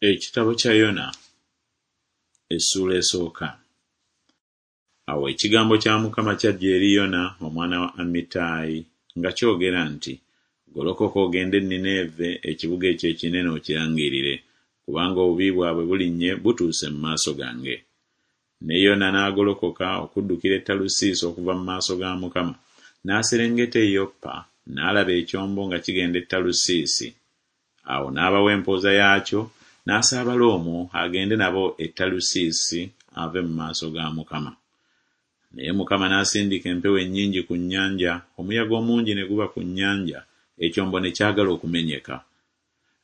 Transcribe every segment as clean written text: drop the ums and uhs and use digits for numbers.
Ekitabo kya Yona essuula esooka. Awo ekigambo kya Mukama kyajja eri Yona omwana wa Amittayi nga kyogera nti Golokoka ogende e Nineeve ekibuga ekyo ekinene okirangirire, kubanga obubi bwabwe bulinnye butuuse mu maaso gange. Ne Yona n'agolokoka okuddukira e Talusiisi okuva mu maaso ga Mukama, n'aserengeta e Yopa, n'alaba ekyombo nga kigenda e Talusiisi. Awo n'abawa empooza yaakyo, n'asaabala omwo agende nabo e Talusiisi ave mu maaso ga Mukama. Naye Mukama n'asindika empewo ennyingi ku nnyanja, omuyaga omungi ne guba ku nnyanja, ekyombo ne kyagala okumenyeka.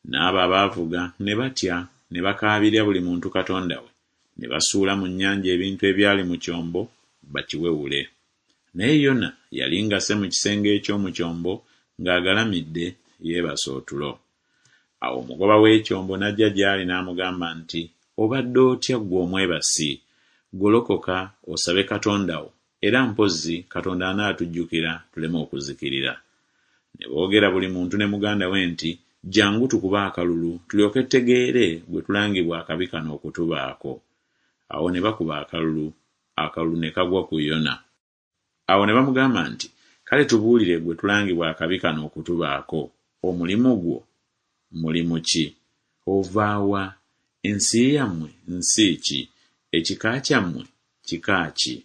N'abo abaavuga ne batya, ne bakaabirira buli muntu katonda we, ne basuula mu nnyanja ebintu ebyali mu kyombo bakiwewule. Naye Yona yali ng'asse mu kisenge eky'omu kyombo ng'agalamidde yeebase otulo. Awo omugoba w'ekyombo n'ajja gy'ali n'amugamba nti, Obadde otya ggwe omwebasi? Golokoka osabe Katonda wo, era mpozzi Katonda anaatujjukira tuleme okuzikirira. Ne boogera buli muntu ne muganda we nti, Jjangu tukube akalulu tulyoke tutegeere gwe tulangibwa akabi kano okutubaako. Awo ne bakuba akalulu, akalulu ne kagwa ku Yona. Awo ne bamugamba nti, Kale tubuulire gwe tulangibwa akabi kano okutubaako, omulimu gwo mulimu ki? Ova wa? Ensi yammwe nsi ki? Ekika kyammwe kika ki?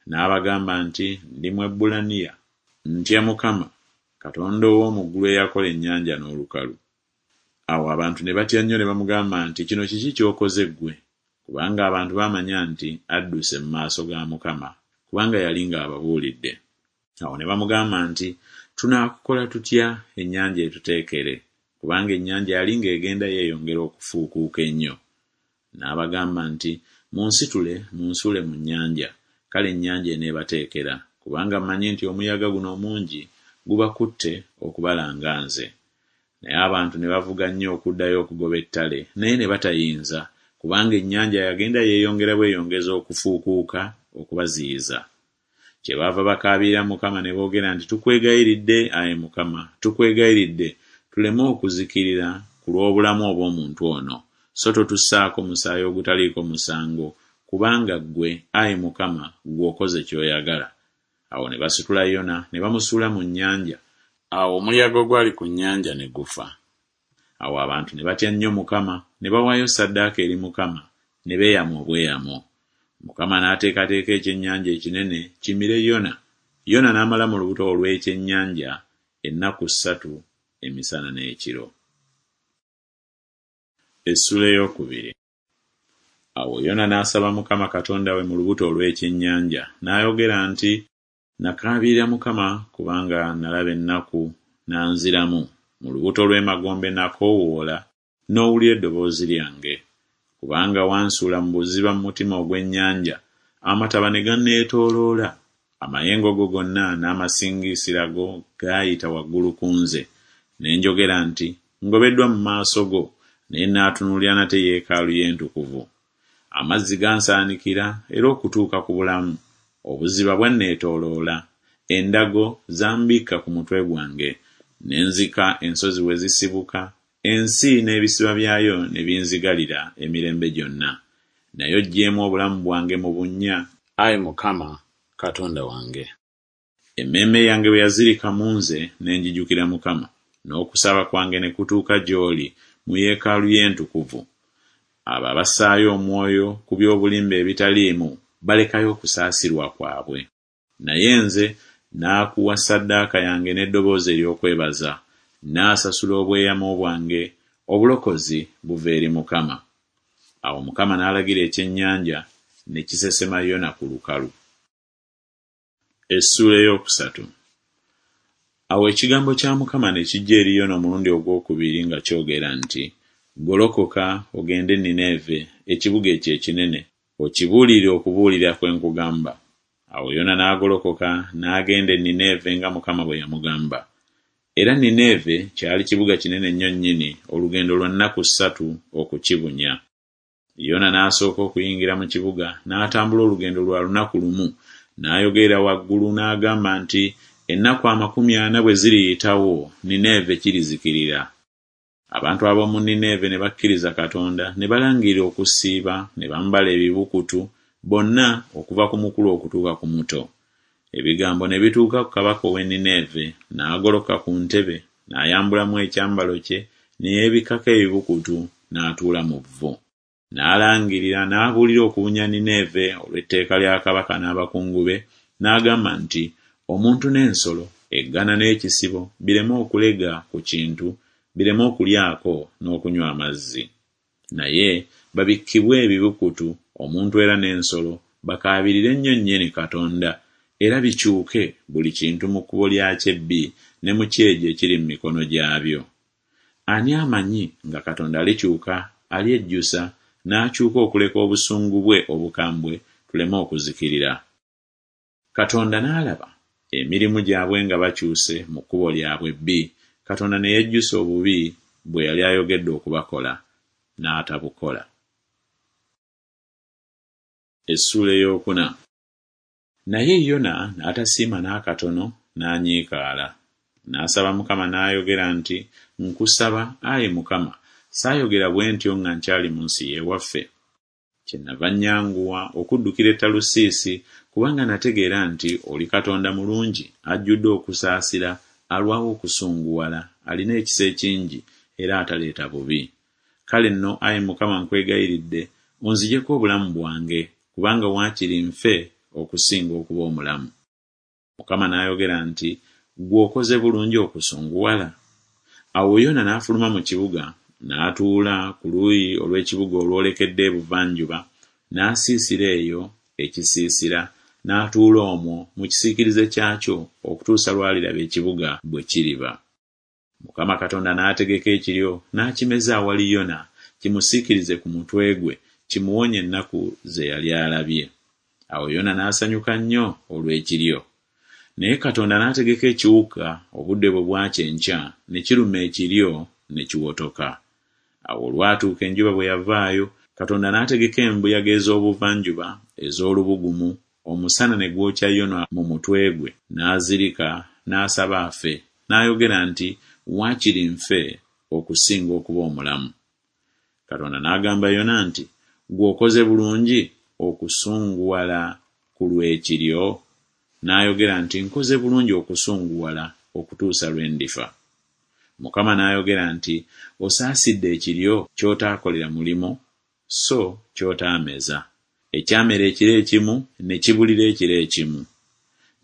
N'abagamba nti, Ndi Mwebbulaniya, ntya Mukama, Katonda ow'omu ggulu eyakola ennyanja n'olukalu. Awo abantu ne batya nnyo ne bamugamba nti, Kino kiki ky'okoze ggwe? Kubanga abantu baamanya nti adduse mu maaso ga Mukama, kubanga yali ng'ababuulidde. Awo ne bamugamba nti, Tunaakukola tutya ennyanja etuteekere? Kubanga ennyanja yali ng'egenda yeeyongera okufuukuuka ennyo. N'abagamba nti, Munsitule munsuule mu nnyanja, kale ennyanja eneebateekera, kubanga mmanyi nti omuyaga guno omungi gubakutte okubalanga nze. Naye abantu ne bavuga nnyo okuddayo okugoba ettale, naye ne batayinza, kubanga ennyanja yagenda yeeyongera bweyongezi okufuukuuka okubaziyiza. Kyebaava bakaabirira Mukama ne boogera nti Tukwegayiridde, ayi Mukama, tukwegayiridde, tuleme okuzikirira ku lw'obulamu obw'omuntu ono, so totussaako musaayi ogutaliiko musango, kubanga ggwe, ayi Mukama, ggwe okoze ky'oyagala. Awo ne basitula Yona ne bamusuula mu nnyanja, awo omuyaga ogwali ku nnyanja ne gufa. Awo abantu ne batya nnyo Mukama, ne bawaayo ssaddaaka eri Mukama, ne beeyama obweyamo. Mukama n'ateekateeka ekyennyanja ekinene kimire Yona, Yona n'amala mu lubuto olw'ekyennyanja ennaku ssatu emisana n'ekiro. Essuula ey'okubiri. Awo Yona n'asaba Mukama Katonda we mu lubuto olw'ekyennyanja, n'ayogera nti Nakaabirira Mukama kubanga nalaba ennaku, n'anziramu, mu lubuto lw'emagombe nakoowoola, n'owulira eddoboozi lyange. Kubanga wansuula mu buziba mu mutima ogw'ennyanja, amataba ne ganneetooloola. Amayengo go gonna n'amasingisira go gaayita waggulu ku nze. Ne njogera nti Ngobeddwa mu maaso go, naye nnaatunuulira nate yeekaalu yo entukuvu. Amazzi gansaanikira era okutuuka ku bulamu, obuziba bwanneetooloola, endago zambikka ku mutwe gwange. Ne nzika ensozi we zisibuka, ensi n'ebisiba byayo ne binzigalira emirembe gyonna. Naye oggyeemu obulamu bwange mu bunnya, ayi Mukama Katonda wange. Emmeeme yange bwe yazirika mu nze, ne njijukira Mukama, n'okusaba kwange ne kutuuka gy'oli, mu yeekaalu yo entukuvu. Abo abassaayo omwoyo ku by'obulimba ebitaliimu balekayo okusaasirwa kwabwe. Naye nze naakuwa ssaddaaka yange n'eddoboozi ery'okwebaza, nnaasasula obweyamo bwange, obulokozi buva eri Mukama. Awo Mukama n'alagira ekyennyanja, ne kisesema Yona ku lukalu. Essuula ey'okusatu. Awo ekigambo kya Mukama ne kijja eri Yona omulundi ogw'okubiri nga kyogera nti Golokoka ogende e Nineeve, ekibuga ekyo ekinene, okibuulirire okubuulira kwe nkugamba. Awo Yona n'agolokoka n'agenda e Nineeve nga Mukama bwe yamugamba. Era Nineeve kyali kibuga kinene nnyo nnyini, olugendo lwa nnaku ssatu okukibunya. Yona n'asooka okuyingira mu kibuga n'atambula olugendo lwa lunaku lumu, n'ayogerera waggulu n'agamba nti Ennaku 40 bwe ziriyitawo, Nineeve kirizikirira. Abantu ab'omu Nineeve ne bakkiriza Katonda, ne balangirira okusiiba, ne bambala ebibukutu, bonna okuva ku mukulu okutuuka ku muto. Ebigambo ne bituuka ku kabaka ow'e Nineeve, n'agolokoka ku ntebe, n'ayambulamu ekyambalo kye, ne yeebikkako ebibukutu, n'atuula mu vvu. N'alangirira n'abuulira okubunya Nineeve olw'etteeka lya kabaka n'abakungu be, n'agamba nti Omuntu n'ensolo, eggana n'ekisibo bireme okulega ku kintu, bireme okulyako n'okunywa amazzi. Naye babikkibwe ebibukutu, omuntu era n'ensolo, bakaabirire nnyo nnyini Katonda, era bikyuke buli kintu mu kkubo lyakyo ebbi ne mu kyejo ekiri mu mikono gyabyo. Ani amanyi nga Katonda alikyuka alyejjusa n'akyuka okuleka obusungu bwe obukambwe tuleme okuzikirira? Katonda n'alaba emirimu gyabwe nga bakyuse mu kkubo lyabwe ebbi, Katonda ne yejjusa obubi bwe yali ayogedde okubakola, n'atabukola. Essuula ey'okuna. Naye Yona n'atasiima n'akatono, n'anyiikaala. N'asaba Mukama n'ayogera nti Nkusaba, ayi Mukama, saayogera bwe ntyo nga nkyali mu nsi y'ewaffe? Kyennava nnyanguwa okuddukira e Talusiisi, kubanga nategeera nti oli Katonda mulungi, ajjudde okusaasira, alwawo okusunguwala, alina ekisa ekingi, era ataleeta bubi. Kale nno, ayi Mukama nkwegayiridde, onzigyeko obulamu bwange, kubanga waakiri nfe okusinga okuba omulamu. Mukama n'ayogera nti Ggwe okoze bulungi okusunguwala? Awo Yona n'afuluma mu kibuga, n'atuula ku luuyi olw'ekibuga olwolekedde ebuvanjuba, n'asiisira eyo ekisiisira, n'atuula omwo mu kisiikirize kyakyo okutuusa lw'aliraba ekibuga bwe kiriba. Mukama Katonda n'ategeka ekiryo n'akimeza awali Yona kimusiikirize ku mutwe gwe kimuwonye ennaku ze yali alabye. Awo Yona n'asanyuka nnyo olw'ekiryo. Naye Katonda n'ategeka ekiwuka obudde bwe bwakya enkya ne kiruma ekiryo ne kiwotoka. Awo olwatuuka enjuba bwe yavaayo, Katonda n'ategeka embuyaga ez'obuvanjuba ez'olubugumu, omusana ne gwokya Yona mu mutwe gwe, n'azirika, n'asaba afe, n'ayogera nti Waakiri nfe okusinga okuba omulamu. Katonda n'agamba Yona nti Ggwe okoze bulungi okusunguwala ku lw'ekiryo? N'ayogera nti Nkoze bulungi okusunguwala okutuusa lwe ndifa. Mukama n'ayogera nti Osaasidde ekiryo ky'otaakolera mulimu so ky'otaameza, ekyamera ekiro ekimu ne kibulira ekiro ekimu.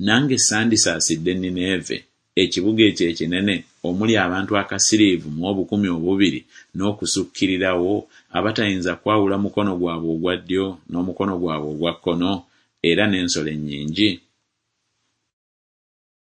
Nange sandisaasidde Nineeve, ekibuga ekyo ekinene, omuli abantu akasiriivu mu 2000 n'okusukkirirawo, abatayinza kwawula mukono gwabwe ogwa ddyo n'omukono gwabwe ogwa kkono, era n'ensolo ennyingi?